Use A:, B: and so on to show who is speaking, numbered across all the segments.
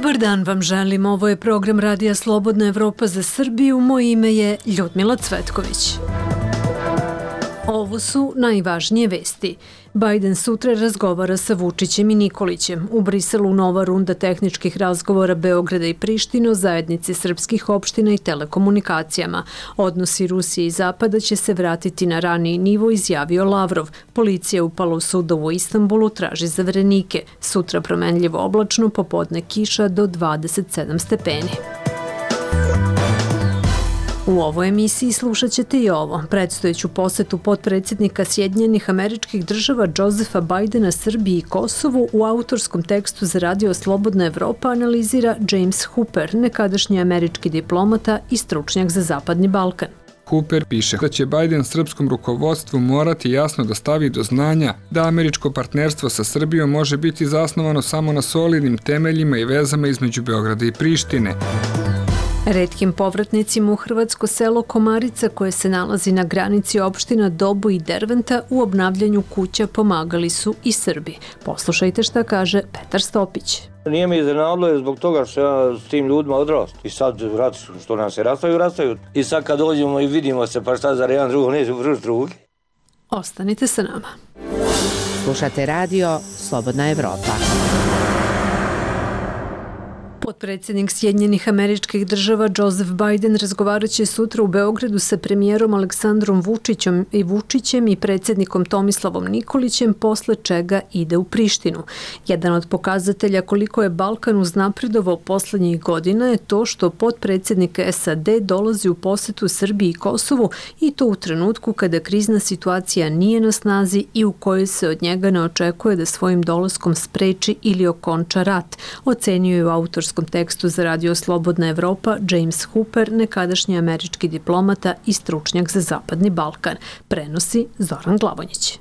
A: Dobar dan vam želim, ovo je program Radija Slobodna Evropa za Srbiju, moje ime je Ljudmila Cvetković. Ovo su najvažnije vesti. Biden sutra razgovara sa Vučićem i Nikolićem. U Briselu nova runda tehničkih razgovora Beograda i Prištine o zajednici srpskih opština i telekomunikacijama. Odnosi Rusije i Zapada će se vratiti na raniji nivo, izjavio Lavrov. Policija upala u sudovu u Istanbulu, traži zaverenike. Sutra promenljivo oblačno, popodne kiša do 27 stepeni. U ovoj emisiji slušat ćete i ovo. Predstojeću posetu potpredsjednika Sjedinjenih Američkih Država Josefa Bidena Srbiji i Kosovu u autorskom tekstu za Radio Slobodna Evropa analizira James Hooper, nekadašnji američki diplomata i stručnjak za Zapadni Balkan.
B: Hooper piše da će Biden srpskom rukovodstvu morati jasno da stavi do znanja da američko partnerstvo sa Srbijom može biti zasnovano samo na solidnim temeljima i vezama između Beograda i Prištine.
A: Retkim povratnicima u hrvatsko selo Komarica, koje se nalazi na granici opština Dobo i Derventa, u obnavljanju kuća pomagali su i Srbi. Poslušajte šta kaže Petar Stopić.
C: Nije me iznenadilo zbog toga što ja s tim ljudima odrastu. I sad što nam se rastaju. I sad kad dođemo i vidimo se pa šta za jedan drugog neće vrš drugi.
A: Ostanite sa nama.
D: Slušate radio Slobodna Evropa.
A: Potpredsjednik Sjedinjenih Američkih Država Joseph Biden razgovarat će sutra u Beogradu sa premijerom Aleksandrom Vučićem i predsjednikom Tomislavom Nikolićem, posle čega ide u Prištinu. Jedan od pokazatelja koliko je Balkan uznapredovao poslednjih godina je to što potpredsjednik SAD dolazi u posetu Srbiji i Kosovu, i to u trenutku kada krizna situacija nije na snazi i u kojoj se od njega ne očekuje da svojim dolaskom spreči ili okonča rat, ocenio je u autorskom tekstu za Radio Slobodna Evropa James Hooper, nekadašnji američki diplomata i stručnjak za Zapadni Balkan. Prenosi Zoran Glavonjić.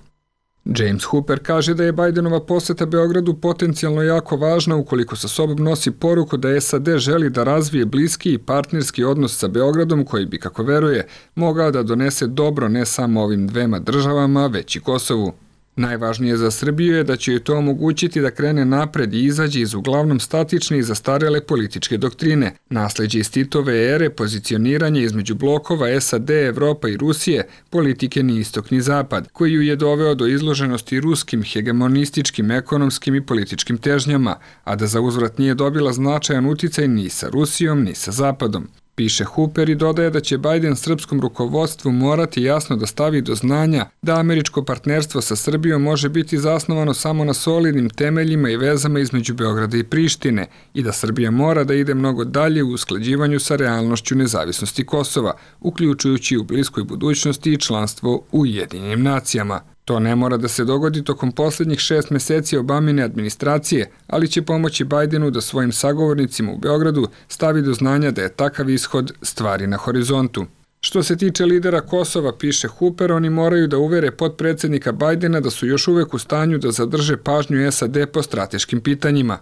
B: James Hooper kaže da je Bidenova poseta Beogradu potencijalno jako važna ukoliko sa sobom nosi poruku da SAD želi da razvije bliski i partnerski odnos sa Beogradom koji bi, kako veruje, mogao da donese dobro ne samo ovim dvema državama, već i Kosovu. Najvažnije za Srbiju je da će joj to omogućiti da krene napred i izađe iz uglavnom statične i zastarele političke doktrine. Nasleđe iz Titove ere, pozicioniranje između blokova SAD, Evropa i Rusije, politike ni istok ni zapad, koji ju je doveo do izloženosti ruskim, hegemonističkim, ekonomskim i političkim težnjama, a da za uzvrat nije dobila značajan uticaj ni sa Rusijom ni sa Zapadom. Piše Hooper i dodaje da će Biden srpskom rukovodstvu morati jasno da stavi do znanja da američko partnerstvo sa Srbijom može biti zasnovano samo na solidnim temeljima i vezama između Beograda i Prištine i da Srbija mora da ide mnogo dalje u usklađivanju sa realnošću nezavisnosti Kosova, uključujući u bliskoj budućnosti i članstvo u Ujedinjenim nacijama. To ne mora da se dogodi tokom posljednjih 6 meseci Obamine administracije, ali će pomoći Bidenu da svojim sagovornicima u Beogradu stavi do znanja da je takav ishod stvari na horizontu. Što se tiče lidera Kosova, piše Hooper, oni moraju da uvere potpredsjednika Bidena da su još uvek u stanju da zadrže pažnju SAD po strateškim pitanjima.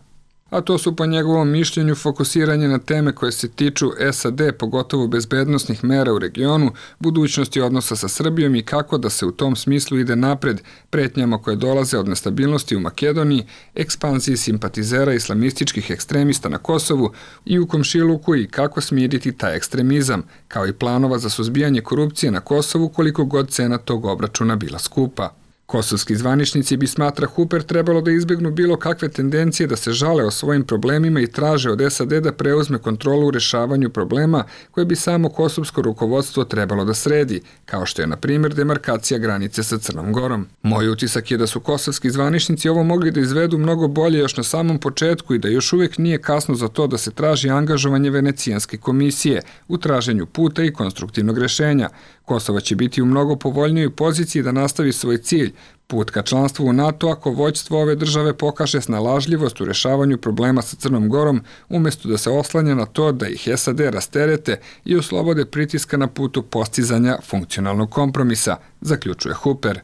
B: A to su po njegovom mišljenju fokusiranje na teme koje se tiču SAD, pogotovo bezbednosnih mera u regionu, budućnosti odnosa sa Srbijom i kako da se u tom smislu ide napred, pretnjama koje dolaze od nestabilnosti u Makedoniji, ekspanziji simpatizera islamističkih ekstremista na Kosovu i u komšiluku i kako smiriti taj ekstremizam, kao i planova za suzbijanje korupcije na Kosovu koliko god cena tog obračuna bila skupa. Kosovski zvaničnici bi, smatra Hooper, trebalo da izbjegnu bilo kakve tendencije da se žale o svojim problemima i traže od SAD da preuzme kontrolu u rešavanju problema koje bi samo kosovsko rukovodstvo trebalo da sredi, kao što je, na primjer, demarkacija granice sa Crnom Gorom. Moj utisak je da su kosovski zvaničnici ovo mogli da izvedu mnogo bolje još na samom početku i da još uvijek nije kasno za to da se traži angažovanje Venecijanske komisije u traženju puta i konstruktivnog rešenja. Kosovo će biti u mnogo povoljnijoj poziciji da nastavi svoj cilj, put ka članstvu u NATO, ako vođstvo ove države pokaže snalažljivost u rešavanju problema sa Crnom Gorom, umjesto da se oslanja na to da ih SAD rasterete i oslobode pritiska na putu postizanja funkcionalnog kompromisa, zaključuje Hooper.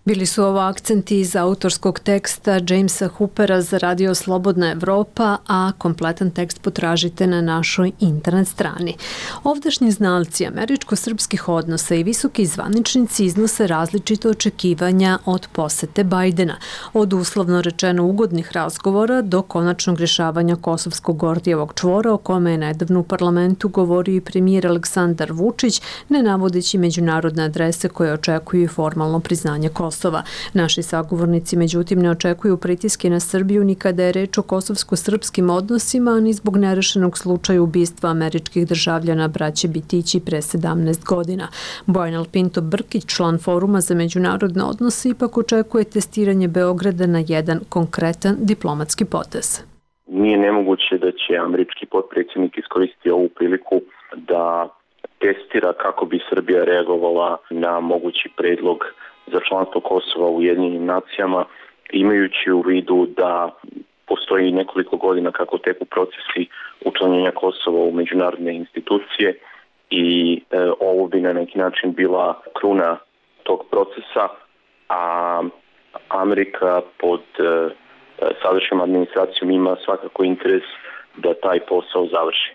A: Bili su ovo akcenti iz autorskog teksta Jamesa Hoopera za radio Slobodna Evropa, a kompletan tekst potražite na našoj internet strani. Ovdašnji znalci američko-srpskih odnosa i visoki zvaničnici iznose različite očekivanja od posete Bajdena, od uslovno rečeno ugodnih razgovora do konačnog rješavanja kosovskog Gordijevog čvora, o kome je nedavno u parlamentu govorio i premijer Aleksandar Vučić, ne navodeći međunarodne adrese koje očekuju formalno priznanje Kosova. Naši sagovornici, međutim, ne očekuju pritiske na Srbiju ni kada je reč o kosovsko-srpskim odnosima, ni zbog nerešenog slučaja ubistva američkih državljana braće Bitići pre 17 godina. Bojan Pinto Brkić, član Foruma za međunarodne odnose, ipak očekuje testiranje Beograda na jedan konkretan diplomatski potez.
E: Nije nemoguće da će američki potpredsjednik iskoristiti ovu priliku da testira kako bi Srbija reagovala na mogući predlog za članstvo Kosova u Ujedinjenim nacijama, imajući u vidu da postoji nekoliko godina kako teku procesi učlanjenja Kosova u međunarodne institucije i ovo bi na neki način bila kruna tog procesa, a Amerika pod sadašnjom administracijom ima svakako interes da taj posao završi.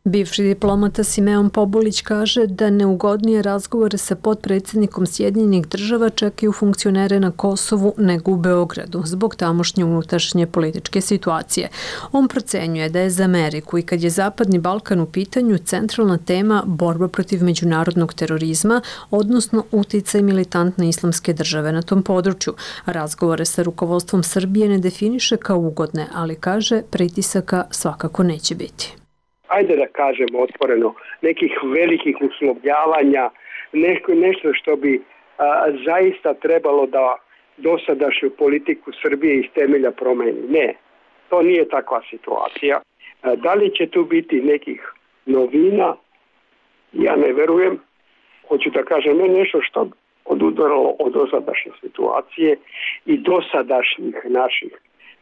A: Bivši diplomata Simeon Pobulić kaže da neugodnije razgovore sa potpredsjednikom Sjedinjenih država čekaju funkcionere na Kosovu nego u Beogradu, zbog tamošnje unutrašnje političke situacije. On procenjuje da je za Ameriku i kad je Zapadni Balkan u pitanju centralna tema borba protiv međunarodnog terorizma, odnosno uticaj militantne islamske države na tom području. Razgovore sa rukovodstvom Srbije ne definiše kao ugodne, ali kaže pritisaka svakako neće biti.
F: Ajde da kažemo otvoreno, nekih velikih uslovljavanja, nešto što bi zaista trebalo da dosadašnju politiku Srbije iz temelja promeni. Ne, to nije takva situacija. Da li će tu biti nekih novina? Ja ne verujem. Hoću da kažem nešto što odudaralo od dosadašnje situacije i dosadašnjih naših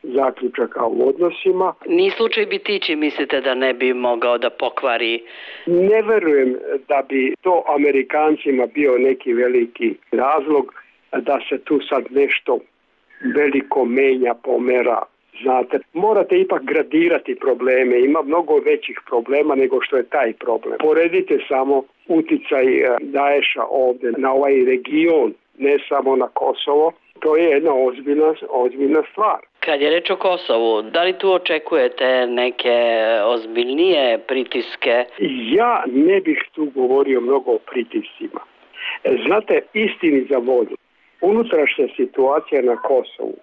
F: zaključaka u odnosima.
G: Ni slučaj Bitići mislite da ne bi mogao da pokvari?
F: Ne verujem da bi to Amerikancima bio neki veliki razlog da se tu sad nešto veliko menja, pomera. Znate, morate ipak gradirati probleme. Ima mnogo većih problema nego što je taj problem. Poredite samo uticaj Daesha ovdje na ovaj region, ne samo na Kosovo. To je jedna ozbiljna stvar.
G: Kad je reč o Kosovu, da li tu očekujete neke ozbiljnije pritiske?
F: Ja ne bih tu govorio mnogo o pritiscima. Znate, istini za volju, unutrašnja situacija na Kosovu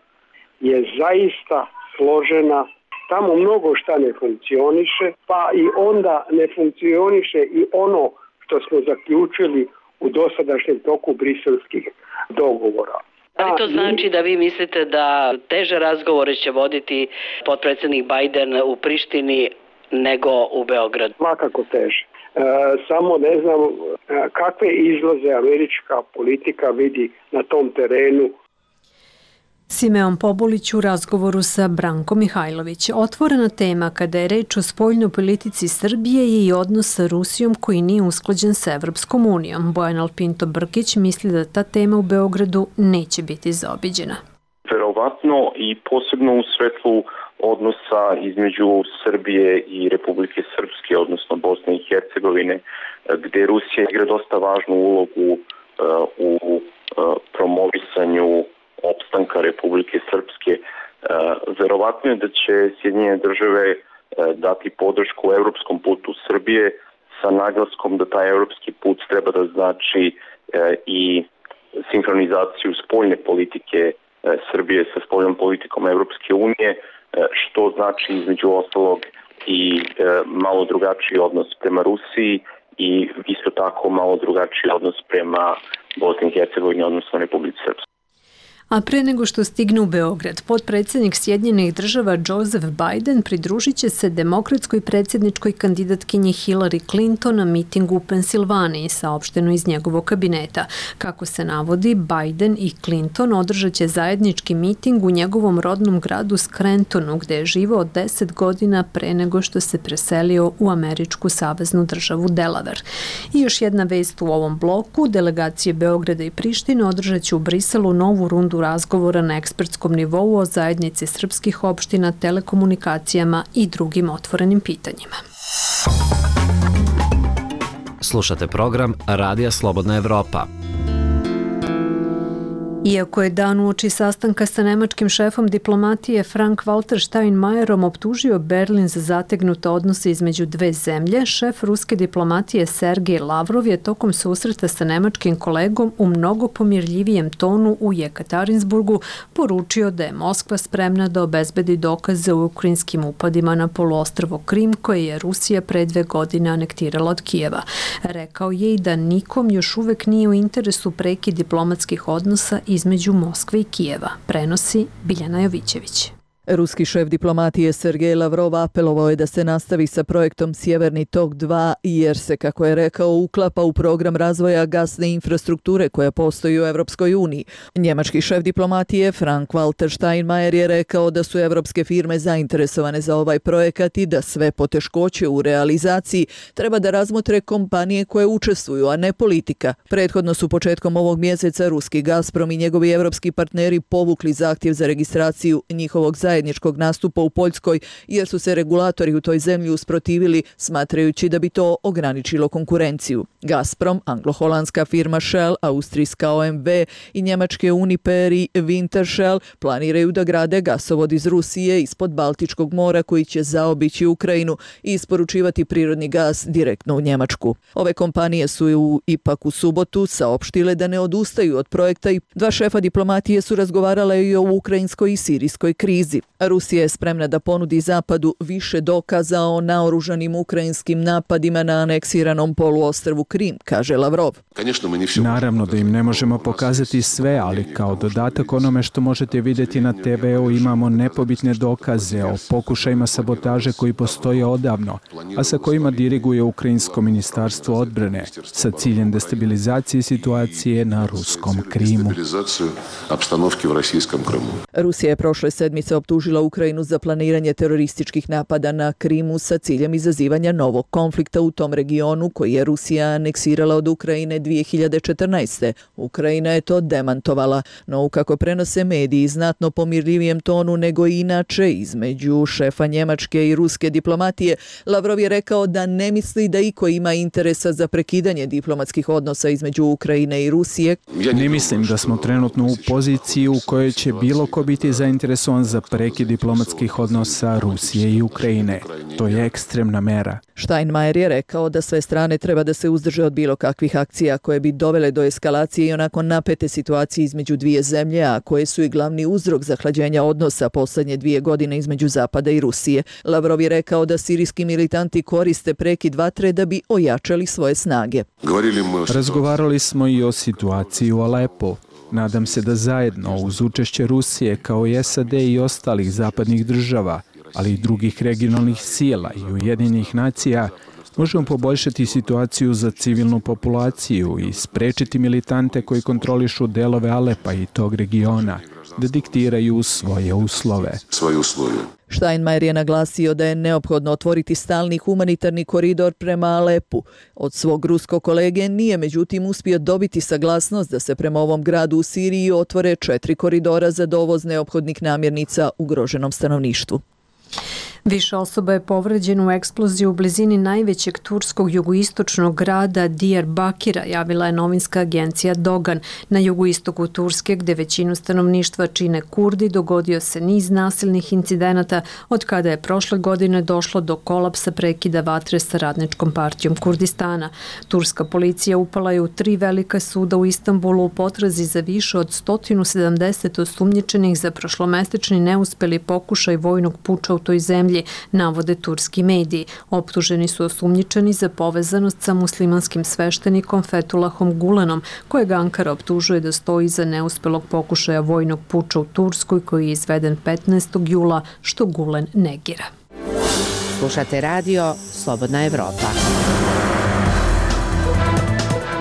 F: je zaista složena. Tamo mnogo šta ne funkcioniše, pa i onda ne funkcioniše i ono što smo zaključili u dosadašnjem toku briselskih dogovora.
G: Da li to znači da vi mislite da teže razgovore će voditi potpredsjednik Bajden u Prištini nego u Beogradu?
F: Svakako teže. Samo ne znam kakve izlaze američka politika vidi na tom terenu.
A: Simeon Pobulić u razgovoru sa Brankom Mihajlović. Otvorena tema kada je reč o spoljnoj politici Srbije je i odnos sa Rusijom koji nije usklađen sa Evropskom unijom. Bojan Pinto Brkić misli da ta tema u Beogradu neće biti zaobiđena.
E: Verovatno i posebno u svetlu odnosa između Srbije i Republike Srpske, odnosno Bosne i Hercegovine, gde Rusija igra dosta važnu ulogu u promovisanju opstanka Republike Srpske. Verovatno je da će Sjedinjene države dati podršku evropskom putu Srbije sa naglaskom da taj evropski put treba da znači i sinhronizaciju spoljne politike Srbije sa spoljnom politikom Evropske unije, što znači između ostalog i malo drugačiji odnos prema Rusiji i isto tako malo drugačiji odnos prema Bosni i Hercegovini, odnosno Republike Srpske.
A: A pre nego što stigne u Beograd, potpredsjednik Sjedinjenih država Joseph Biden pridružit će se demokratskoj predsjedničkoj kandidatkinji Hillary Clinton na mitingu u Pensilvaniji, saopšteno iz njegovog kabineta. Kako se navodi, Biden i Clinton održat će zajednički miting u njegovom rodnom gradu Scrantonu, gde je živao 10 godina pre nego što se preselio u američku saveznu državu Delaware. I još jedna vest u ovom bloku, delegacije Beograda i Prištine održat će u Briselu novu rundu razgovora na ekspertskom nivou o zajednici srpskih opština, telekomunikacijama i drugim otvorenim pitanjima.
H: Slušate program Radija Slobodna Evropa.
A: Iako je dan uoči sastanka sa nemačkim šefom diplomatije Frank-Walter Steinmeierom optužio Berlin za zategnute odnose između dve zemlje, šef ruske diplomatije Sergej Lavrov je tokom susreta sa nemačkim kolegom u mnogo pomirljivijem tonu u Jekaterinburgu poručio da je Moskva spremna da obezbedi dokaze u ukrajinskim upadima na poluostrvo Krim koje je Rusija pre 2 godine anektirala od Kijeva. Rekao je i da nikom još uvek nije u interesu prekid diplomatskih odnosa između Moskve i Kijeva, prenosi Biljana Jovićević.
I: Ruski šef diplomatije Sergej Lavrov apelovao je da se nastavi sa projektom Sjeverni tok 2 jer se, kako je rekao, uklapa u program razvoja gasne infrastrukture koja postoji u Evropskoj uniji. Njemački šef diplomatije Frank-Walter Steinmeier je rekao da su evropske firme zainteresovane za ovaj projekat i da sve poteškoće u realizaciji treba da razmotre kompanije koje učestvuju, a ne politika. Prethodno su početkom ovog mjeseca ruski Gazprom i njegovi evropski partneri povukli zahtjev za registraciju njihovog zajedničkog nastupa u Poljskoj jer su se regulatori u toj zemlji usprotivili smatrajući da bi to ograničilo konkurenciju. Gazprom, anglo-holandska firma Shell, austrijska OMV i njemačke Uniper i Wintershall planiraju da grade gasovod iz Rusije ispod Baltičkog mora koji će zaobići Ukrajinu i isporučivati prirodni gas direktno u Njemačku. Ove kompanije su ipak u subotu saopštile da ne odustaju od projekta i dva šefa diplomatije su razgovarale i o ukrajinskoj i sirijskoj krizi. Rusija je spremna da ponudi Zapadu više dokaza o naoružanim ukrajinskim napadima na aneksiranom poluostrvu Krim, kaže Lavrov.
J: Naravno da im ne možemo pokazati sve, ali kao dodatak onome što možete vidjeti na TV-u imamo nepobitne dokaze o pokušajima sabotaže koji postoje odavno, a sa kojima diriguje Ukrajinsko ministarstvo odbrane sa ciljem destabilizacije situacije na ruskom Krimu.
I: Rusija je prošle sedmice optužila Ukrajinu za planiranje terorističkih napada na Krimu sa ciljem izazivanja novog konflikta u tom regionu koji je Rusija aneksirala od Ukrajine 2014. Ukrajina je to demantovala, no kako prenose mediji znatno pomirljivijem tonu nego inače između šefa njemačke i ruske diplomatije, Lavrov je rekao da ne misli da iko ima interesa za prekidanje diplomatskih odnosa između Ukrajine i Rusije.
J: Ne mislim da smo trenutno u poziciji u kojoj će bilo ko biti zainteresovan za prekid diplomatskih odnosa Rusije i Ukrajine. To je ekstremna mera.
I: Steinmeier je rekao da sve strane treba da se uzdrže od bilo kakvih akcija koje bi dovele do eskalacije i onako napete situacije između dvije zemlje, a koje su i glavni uzrok zahlađenja odnosa posljednje 2 godine između Zapada i Rusije. Lavrov je rekao da sirijski militanti koriste prekid vatre da bi ojačali svoje snage.
J: Razgovarali smo i o situaciji u Alepu. Nadam se da zajedno uz učešće Rusije kao i SAD i ostalih zapadnih država, ali i drugih regionalnih sila i Ujedinjenih nacija, možemo poboljšati situaciju za civilnu populaciju i sprečiti militante koji kontrolišu delove Alepa i tog regiona da diktiraju svoje uslove.
I: Steinmeier je naglasio da je neophodno otvoriti stalni humanitarni koridor prema Alepu. Od svog ruskog kolege nije međutim uspio dobiti saglasnost da se prema ovom gradu u Siriji otvore 4 koridora za dovoz neophodnih namirnica ugroženom stanovništvu.
A: Više osoba je povređeno u eksploziji u blizini najvećeg turskog jugoistočnog grada Diyarbakira, javila je novinska agencija Dogan. Na jugoistoku Turske, gde većinu stanovništva čine Kurdi, dogodio se niz nasilnih incidenata od kada je prošle godine došlo do kolapsa prekida vatre sa Radničkom partijom Kurdistana. Turska policija upala je u 3 velika suda u Istanbulu u potrazi za više od 170 osumnjičenih za prošlomesečni neuspeli pokušaj vojnog puča u toj zemlji. zemlji, navode turski mediji. Optuženi su osumnjičeni za povezanost sa muslimanskim sveštenikom Fethullahom Gulenom, kojeg Ankara optužuje da stoji iza neuspelog pokušaja vojnog puča u Turskoj koji je izveden 15. jula, što Gulen negira.
D: Slušate radio Slobodna Evropa.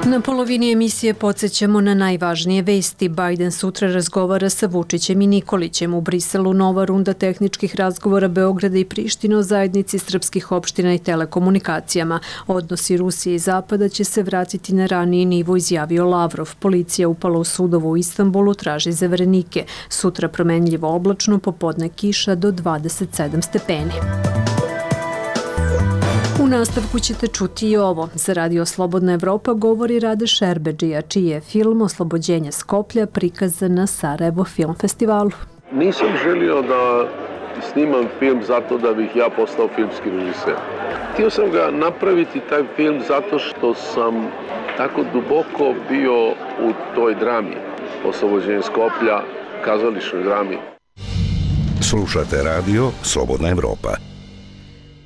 A: Na polovini emisije podsjećamo na najvažnije vesti. Biden sutra razgovara sa Vučićem i Nikolićem. U Briselu nova runda tehničkih razgovora Beograda i Prištine o zajednici srpskih opština i telekomunikacijama. Odnosi Rusije i Zapada će se vratiti na raniji nivo, izjavio Lavrov. Policija upala u sudovo u Istanbulu, traži zaverenike. Sutra promenljivo oblačno, popodne kiša do 27 stepeni. U nastavku ćete čuti i ovo. Za Radio Slobodna Evropa govori Rade Šerbedžija, čiji je film Oslobođenje Skoplja prikazan na Sarajevo Film Festivalu.
K: Nisam želio da snimam film zato da bih ja postao filmski režiser. Htio sam ga napraviti, taj film, zato što sam tako duboko bio u toj drami. Oslobođenje Skoplja, kazališnoj drami.
L: Slušate Radio Slobodna Evropa.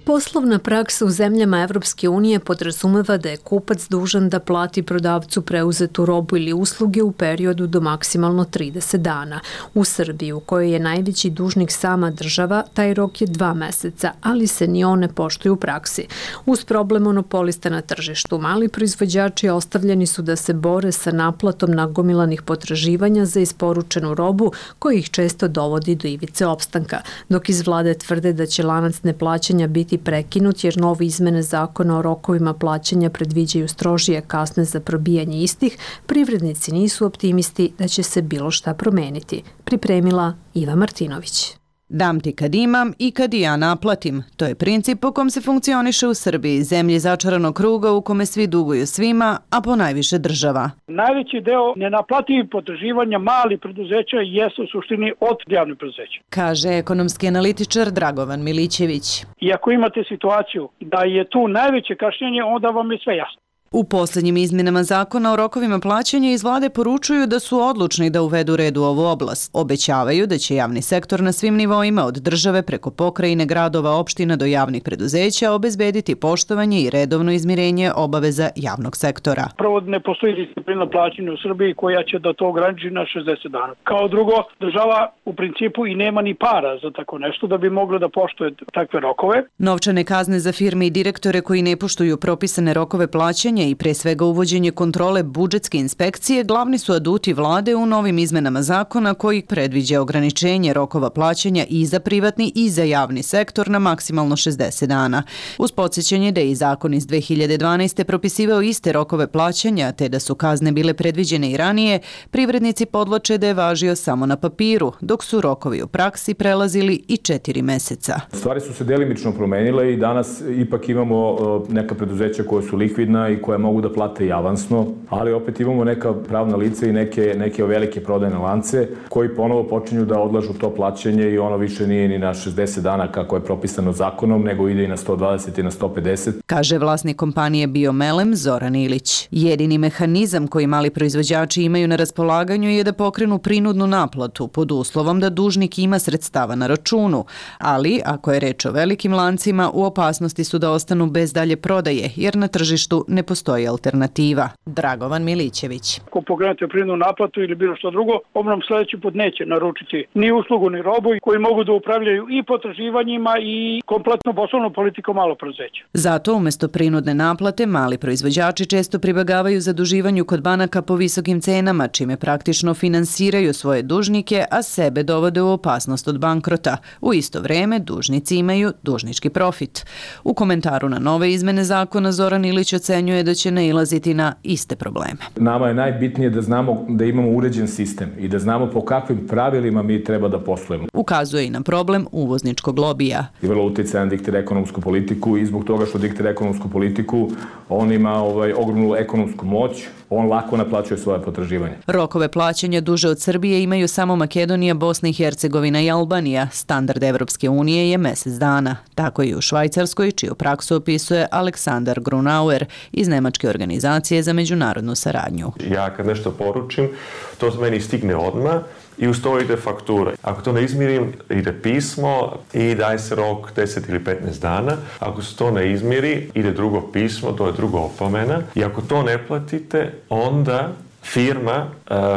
A: Poslovna praksa u zemljama Evropske unije podrazumeva da je kupac dužan da plati prodavcu preuzetu robu ili usluge u periodu do maksimalno 30 dana. U Srbiji, u kojoj je najveći dužnik sama država, taj rok je 2 meseca, ali se ni on ne poštuje u praksi. Uz problem monopolista na tržištu, mali proizvođači ostavljeni su da se bore sa naplatom nagomilanih potraživanja za isporučenu robu, koji ih često dovodi do ivice opstanka, dok iz vlade tvrde da će lanac neplaćanja biti prekinut jer nove izmene zakona o rokovima plaćanja predviđaju strožije kazne za probijanje istih, privrednici nisu optimisti da će se bilo šta promeniti. Pripremila Iva Martinović.
M: Dam ti kad imam i kad i ja naplatim. To je princip po kom se funkcioniše u Srbiji, zemlji začaranog kruga u kome svi duguju svima, a ponajviše država.
N: Najveći deo nenaplativih potraživanja malih preduzeća jesu u suštini od javnih preduzeća,
M: kaže ekonomski analitičar Dragovan Milićević.
N: I ako imate situaciju da je tu najveće kašnjenje, onda vam je sve jasno.
M: U posljednjim izmjenama zakona o rokovima plaćanja iz vlade poručuju da su odlučni da uvedu red u ovu oblast. Obećavaju da će javni sektor na svim nivoima od države preko pokrajine, gradova, opština do javnih preduzeća obezbediti poštovanje i redovno izmirenje obaveza javnog sektora.
N: Prvo, ne postoji disciplina plaćanja u Srbiji koja će da to ograniči na 60 dana. Kao drugo, država u principu i nema ni para za tako nešto da bi mogla da poštuje takve rokove.
M: Novčane kazne za firme i direktore koji ne poštuju propisane rokove plaćanja i pre svega uvođenje kontrole budžetske inspekcije glavni su aduti vlade u novim izmenama zakona koji predviđa ograničenje rokova plaćanja i za privatni i za javni sektor na maksimalno 60 dana. Uz podsjećanje da je i zakon iz 2012. propisivao iste rokove plaćanja te da su kazne bile predviđene i ranije, privrednici podvlače da je važio samo na papiru, dok su rokovi u praksi prelazili i 4 meseca.
O: Stvari su se delimično promenile i danas ipak imamo neka preduzeća koja su likvidna i koje mogu da plate i avansno, ali opet imamo neka pravna lica i neke velike prodajne lance koji ponovo počinju da odlažu to plaćanje i ono više nije ni na 60 dana kako je propisano zakonom, nego ide i na 120 i na 150.
M: Kaže vlasnik kompanije Biomelem Zoran Ilić. Jedini mehanizam koji mali proizvođači imaju na raspolaganju je da pokrenu prinudnu naplatu pod uslovom da dužnik ima sredstava na računu, ali ako je reč o velikim lancima, u opasnosti su da ostanu bez dalje prodaje, jer na tržištu ne postoji alternativa. Dragovan Milićević.
N: Ako pokrenete prinudnu naplatu ili bilo što drugo, onom sledeći put neće naručiti ni uslugu ni robu koji mogu da upravljaju i potraživanjima i kompletno poslovnom politikom malo preduzeća.
M: Zato umesto prinudne naplate mali proizvođači često pribegavaju zaduživanju kod banaka po visokim cenama, čime praktično finansiraju svoje dužnike, a sebe dovode u opasnost od bankrota. U isto vreme dužnici imaju dužnički profit. U komentaru na nove izmene zakona Zoran Ilić ocenjuje da će nailaziti na iste probleme.
O: Nama je najbitnije da znamo da imamo uređen sistem i da znamo po kakvim pravilima mi treba da poslujemo.
M: Ukazuje i na problem uvozničkog lobija.
O: I vrlo utjecajan diktira ekonomsku politiku i zbog toga što diktira ekonomsku politiku, on ima ogromnu ekonomsku moć, on lako naplaćuje svoje potraživanje.
M: Rokove plaćanja duže od Srbije imaju samo Makedonija, Bosna i Hercegovina i Albanija. Standard Evropske unije je mesec dana. Tako i u Švajcarskoj, čiju praksu opisuje Aleksandar Grunauer iz Nemačke organizacije za međunarodnu saradnju.
P: Ja kad nešto poručim, to meni stigne odmah i uz to ide faktura. Ako to ne izmirim, ide pismo i daje se rok 10 ili 15 dana. Ako se to ne izmiri, ide drugo pismo, to je druga opomena. I ako to ne platite, onda firma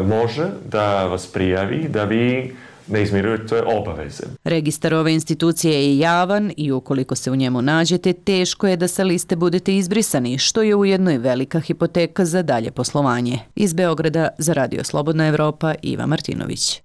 P: može da vas prijavi da vi ne izmirujete obaveze.
M: Registar ove institucije je javan i ukoliko se u njemu nađete, teško je da sa liste budete izbrisani, što je ujedno i velika hipoteka za dalje poslovanje. Iz Beograda za Radio Slobodna Evropa, Iva Martinović.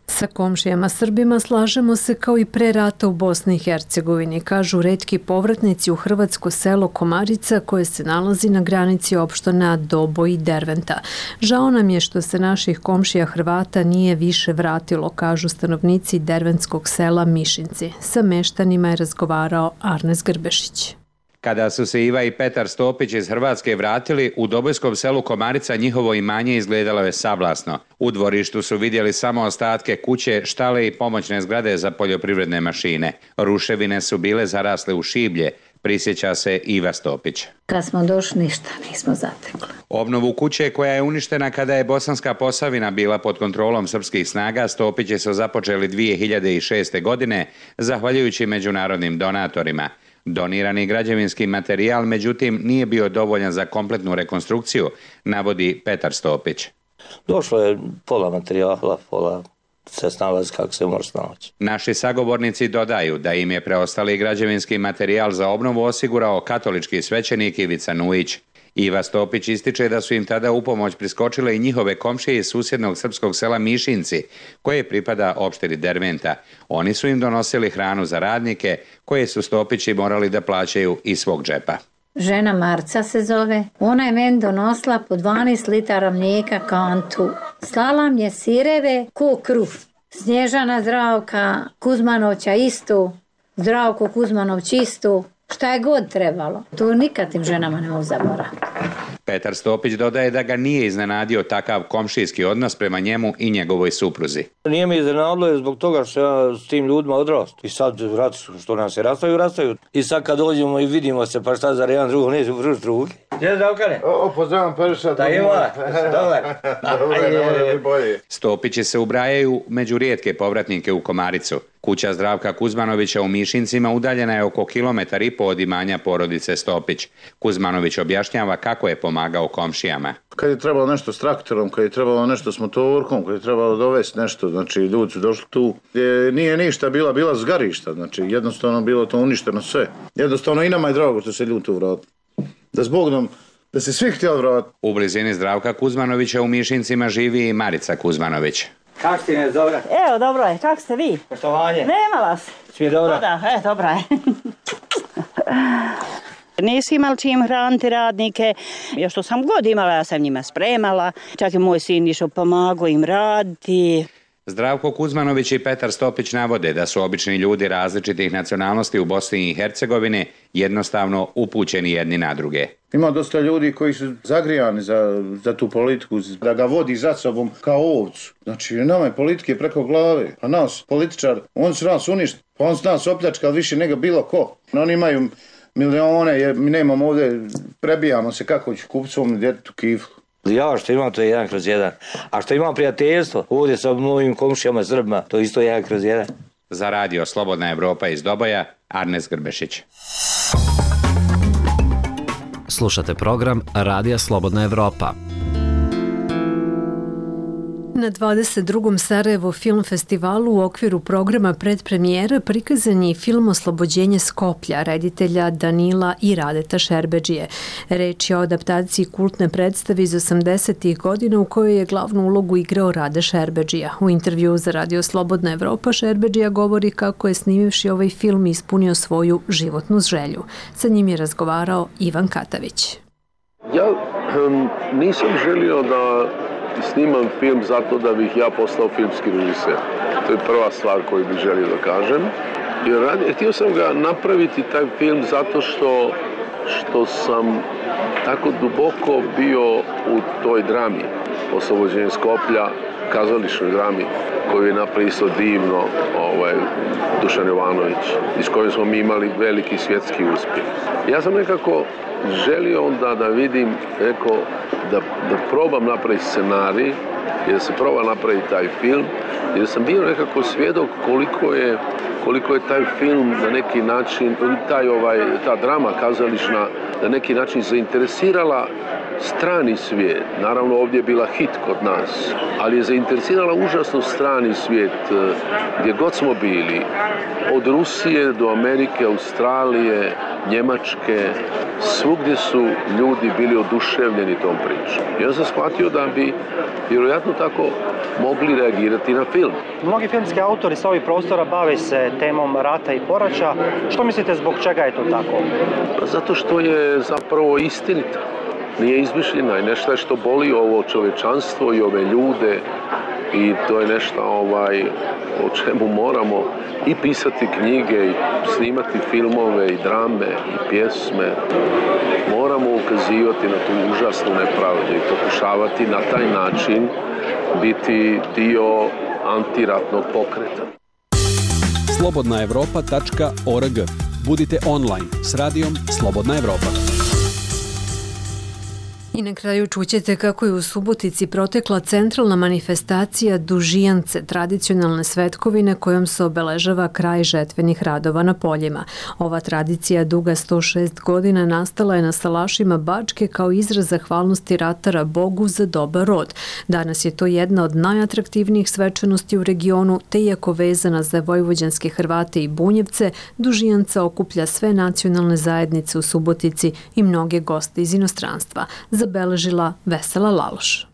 A: Sa komšijama Srbima slažemo se kao i pre rata u Bosni i Hercegovini, kažu retki povratnici u hrvatsko selo Komarica koje se nalazi na granici opština Doboj i Derventa. Žao nam je što se naših komšija Hrvata nije više vratilo, kažu stanovnici derventskog sela Mišinci. Sa meštanima je razgovarao Arnes Grbešić.
Q: Kada su se Iva i Petar Stopić iz Hrvatske vratili, u Dobojskom selu Komarica njihovo imanje izgledalo je sablasno. U dvorištu su vidjeli samo ostatke kuće, štale i pomoćne zgrade za poljoprivredne mašine. Ruševine su bile zarasle u šiblje, prisjeća se Iva Stopić.
R: Kad smo došli, ništa nismo zatekli.
Q: Obnovu kuće koja je uništena kada je Bosanska Posavina bila pod kontrolom srpskih snaga, Stopići su započeli 2006. godine, zahvaljujući međunarodnim donatorima. Donirani građevinski materijal, međutim, nije bio dovoljan za kompletnu rekonstrukciju, navodi Petar Stopić.
C: Došlo je pola materijala, pola se snalazi kako se može snaći.
Q: Naši sagovornici dodaju da im je preostali građevinski materijal za obnovu osigurao katolički svećenik Ivica Nujić. Iva Stopić ističe da su im tada u pomoć priskočile i njihove komšije iz susjednog srpskog sela Mišinci, koje pripada opštini Derventa. Oni su im donosili hranu za radnike, koje su Stopići morali da plaćaju iz svog džepa.
R: Žena Marca se zove. Ona je meni donosila po 12 litara mlijeka kantu. Slala mi je sireve ko kruh. Snježana Zdravka Kuzmanovića isto. Zdravko Kuzmanović isto. Šta je god trebalo. To nikad tim ženama ne mogu zaboraviti.
Q: Petar Stopić dodaje da ga nije iznenadio takav komšijski odnos prema njemu i njegovoj supruzi.
C: Nije mi iznenadilo zbog toga što ja s tim ljudima odrastu. I sad što nam se rastaju. I sad kad dođemo i vidimo se pa šta za jedan drugo, neću vrući drugi. Gdje Zdravkane?
S: Pozdravam Periša.
C: Da ima, dobar.
Q: Stopići se ubrajaju među rijetke povratnike u Komaricu. Kuća Zdravka Kuzmanovića u Mišincima udaljena je oko 1,5 km od imanja porodice Stopić. Kuzmanović objašnjava kako je pomagao komšijama.
S: Kad je trebalo nešto s traktorom, kad je trebalo nešto s motorkom, kad je trebalo dovesti nešto, znači ljudi su došli tu gdje nije ništa bila zgarišta, znači jednostavno bilo to uništeno sve. Jednostavno i nama je drago što se ljudi tu vratili. Da zbog nam da se svi htjeli vratiti.
Q: U blizini Zdravka Kuzmanovića u Mišincima živi i Marica Kuzmanović.
C: Kako ti ne dobro?
R: Evo, dobro je. Kako ste vi?
C: Poštovanje.
R: Nema vas.
C: Svi dobro?
R: Dobro je.
T: Nisi imali čim hraniti radnike, još što sam god imala, ja sam njima spremala, čak i moj sin išao pomagao im raditi.
Q: Zdravko Kuzmanović i Petar Stopić navode da su obični ljudi različitih nacionalnosti u Bosni i Hercegovini jednostavno upućeni jedni na druge.
S: Ima dosta ljudi koji su zagrijani za tu politiku, da ga vodi za sobom kao ovcu. Znači, nama je politike preko glave, a nas, političar, on su nas uništili, pa on su nas opljačkali više nego bilo ko. Oni imaju milione, jer mi nemamo ovdje, prebijamo se kako ću kupiti svom djetetu kiflu.
C: Ja što imam to je 1/1, a što imam prijateljstvo ovdje sa mojim komšijama Srbima, to isto 1/1.
Q: Za Radio Slobodna Evropa iz Doboja, Arnes Grbešić.
H: Slušate program Radija Slobodna Evropa.
A: Na 22. Sarajevo film festivalu u okviru programa predpremijera prikazan je film Oslobođenje Skoplja, reditelja Danila i Radeta Šerbedžije. Reč je o adaptaciji kultne predstave iz 80. godina u kojoj je glavnu ulogu igrao Rade Šerbedžija. U intervju za Radio Slobodna Evropa Šerbedžija govori kako je snimivši ovaj film ispunio svoju životnu želju. Sa njim je razgovarao Ivan Katavić.
K: Ja nisam želio da snimam film zato da bih ja postao filmski režiser. To je prva stvar koju bih želio da kažem. Htio sam ga napraviti taj film zato što što sam tako duboko bio u toj drami, Oslobođenje Skoplja, kazališnoj drami, koju je napisao divno Dušan Jovanović, iz koje smo mi imali veliki svjetski uspjeh. Ja sam nekako želio onda da vidim, da probam napraviti scenarij i da se proba napraviti taj film, i da sam bio nekako svjedok koliko je taj film na neki način, ta drama kazališna na neki način zainteresirala strani svijet. Naravno, ovdje je bila hit kod nas, ali je zainteresirala užasno strani svijet gdje god smo bili. Od Rusije do Amerike, Australije, Njemačke, svugdje su ljudi bili oduševljeni tom pričom. Ja sam shvatio da bi vjerojatno tako mogli reagirati na film.
U: Mnogi filmski autori sa ovih prostora bave se temom rata i poraća. Što mislite, zbog čega je to tako?
K: Zato što je zapravo istinita. Nije izmišljena i nešto što boli ovo čovječanstvo i ove ljude, i to je nešto o čemu moramo i pisati knjige i snimati filmove i drame i pjesme. Moramo ukazivati na tu užasnu nepravdu i pokušavati na taj način biti dio antiratnog pokreta.
V: slobodnaevropa.org. Budite online s radijom Slobodna Evropa.
A: I na kraju čućete kako je u Subotici protekla centralna manifestacija Dužijance, tradicionalne svetkovine kojom se obeležava kraj žetvenih radova na poljima. Ova tradicija duga 106 godina nastala je na salašima Bačke kao izraz zahvalnosti ratara Bogu za dobar rod. Danas je to jedna od najatraktivnijih svečanosti u regionu, te iako vezana za vojvođanske Hrvate i Bunjevce, Dužijanca okuplja sve nacionalne zajednice u Subotici i mnoge goste iz inostranstva. Zabeležila Vesela Laloš.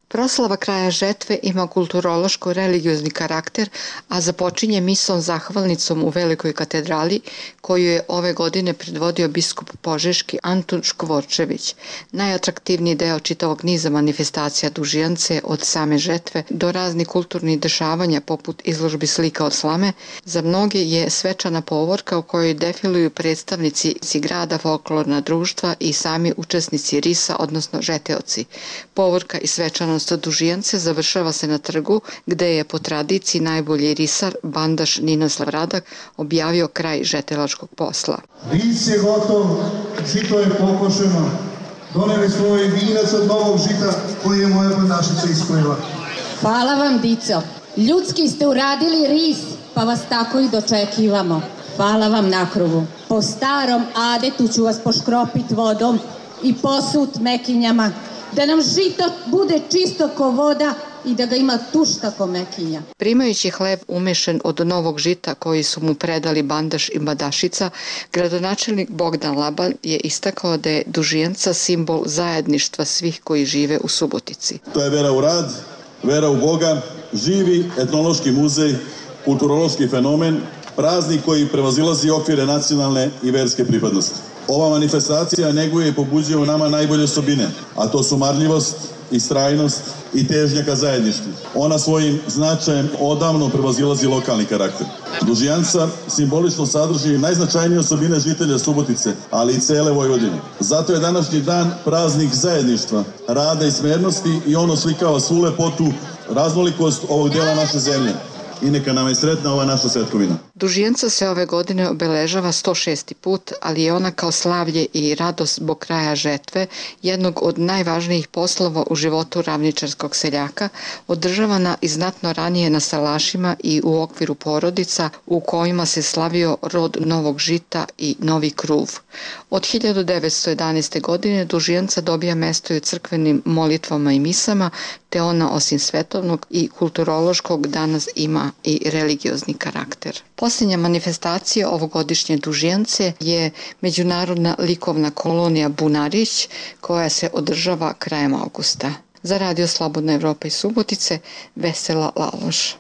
W: Proslava kraja žetve ima kulturološko-religiozni karakter, a započinje misom zahvalnicom u Velikoj katedrali, koju je ove godine predvodio biskup Požeški Antun Škvorčević. Najatraktivniji deo čitavog niza manifestacija Dužijance od same žetve do raznih kulturnih dešavanja poput izložbi slika od slame, za mnoge je svečana povorka u kojoj defiluju predstavnici grada, folklorna društva i sami učesnici risa, odnosno žeteoci. Povorka i svečanost Dužijance završava se na trgu, gde je po tradiciji najbolji risar, bandaš Ninoslav Radak, objavio kraj žetelačkog posla.
X: Ris je gotov, žito je pokošeno, doneli smo ovaj vinac od novog žita koji je moja bandašica ispojila.
Y: Hvala vam, dico. Ljudski ste uradili ris, pa vas tako i dočekivamo. Hvala vam na krugu. Po starom adetu ću vas poškropit vodom i posut mekinjama, da nam žito bude čisto ko voda i da ga ima tušta ko mekinja.
W: Primajući hleb umešan od novog žita koji su mu predali bandaš i badašica, gradonačelnik Bogdan Laban je istakao da je Dužijanca simbol zajedništva svih koji žive u Subotici.
X: To je vera u rad, vera u Boga, živi etnološki muzej, kulturološki fenomen, praznik koji prevazilazi okvire nacionalne i verske pripadnosti. Ova manifestacija neguje i pobuđuje u nama najbolje osobine, a to su marljivost, istrajnost i težnja ka zajedništvu. Ona svojim značajem odavno prevazilazi lokalni karakter. Dužijanca simbolično sadrži najznačajnije osobine žitelja Subotice, ali i cele Vojvodine. Zato je današnji dan praznik zajedništva, rada i smernosti i on oslikava svu lepotu, raznolikost ovog dela naše zemlje. I neka nam je sretna ova naša svetkovina.
W: Dužijanca se ove godine obeležava 106. put, ali je ona kao slavlje i radost zbog kraja žetve, jednog od najvažnijih poslova u životu ravničarskog seljaka, održavana i znatno ranije na salašima i u okviru porodica u kojima se slavio rod novog žita i novi kruv. Od 1911. godine Dužijanca dobija mesto i u crkvenim molitvama i misama, te ona osim svetovnog i kulturološkog danas ima i religiozni karakter. Posljednja manifestacija ovogodišnje Dužijance je međunarodna likovna kolonija Bunarić koja se održava krajem avgusta. Za Radio Slobodna Evropa iz Subotice, Vesela Laloš.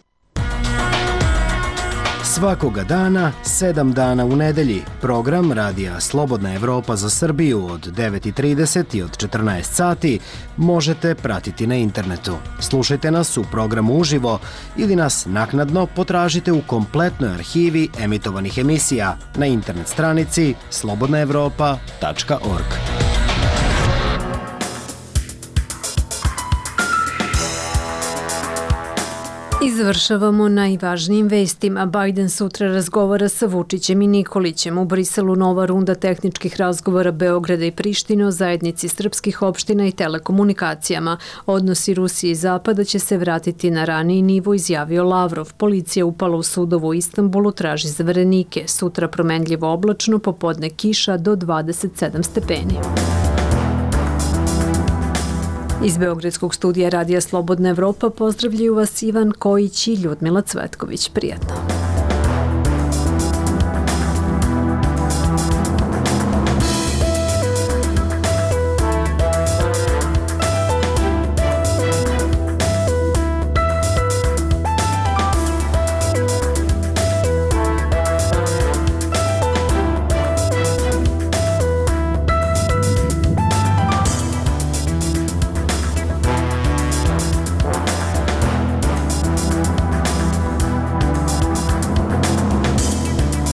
B: Svakoga dana, 7 dana u nedelji, program Radija Slobodna Evropa za Srbiju od 9:30 i od 14 sati možete pratiti na internetu. Slušajte nas u programu uživo ili nas naknadno potražite u kompletnoj arhivi emitovanih emisija na internet stranici slobodnaevropa.org.
A: I završavamo najvažnijim vestima. Biden sutra razgovara sa Vučićem i Nikolićem. U Briselu nova runda tehničkih razgovora Beograda i Prištine o zajednici srpskih opština i telekomunikacijama. Odnosi Rusije i Zapada će se vratiti na raniji nivo, izjavio Lavrov. Policija upala u sudovu u Istanbulu, traži zaverenike. Sutra promenljivo oblačno, popodne kiša do 27 stepeni. Iz Beogradskog studija Radija Slobodna Evropa pozdravljaju vas Ivan Kojić i Ljudmila Cvetković. Prijatno.